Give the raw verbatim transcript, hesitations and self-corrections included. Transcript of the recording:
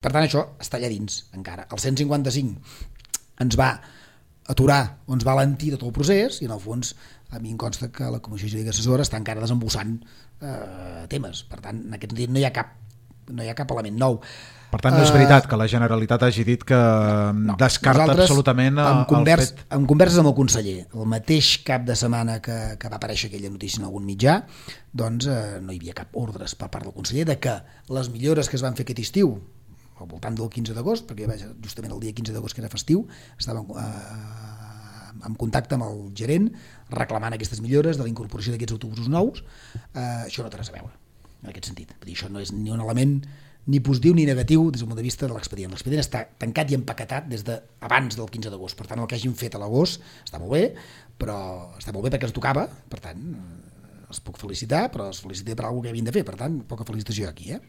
Per tant, això està allà dins encara. El cent cinquanta-cinc ens va aturar o ens va alentir tot el procés i en el fons a mi em consta que la Comissió Jurídica Assessora està encara desembossant eh, temes. Per tant, en aquest sentit no hi ha cap, no hi ha cap element nou. Per tant, no és veritat que la Generalitat hagi dit que no, descarta absolutament en, convers, el fet... en converses amb el conseller, el mateix cap de setmana que, que va aparèixer aquella notícia en algun mitjà, doncs eh, no hi havia cap ordres per part del conseller de que les millores que es van fer aquest estiu, al voltant del quinze d'agost, perquè justament el dia quinze d'agost que era festiu, estàvem eh, en contacte amb el gerent reclamant aquestes millores de la incorporació d'aquests autobusos nous, eh, això no té res a veure en aquest sentit. Vull dir, això no és ni un element ni positiu ni negatiu des del punt de vista de l'expedient. L'expedient està tancat i empaquetat des d'abans del quinze d'agost. Per tant, el que hagin fet a l'agost està molt bé, però està molt bé perquè es tocava, per tant, els puc felicitar, però els felicité per alguna cosa que havien de fer, per tant, poca felicitació aquí, eh?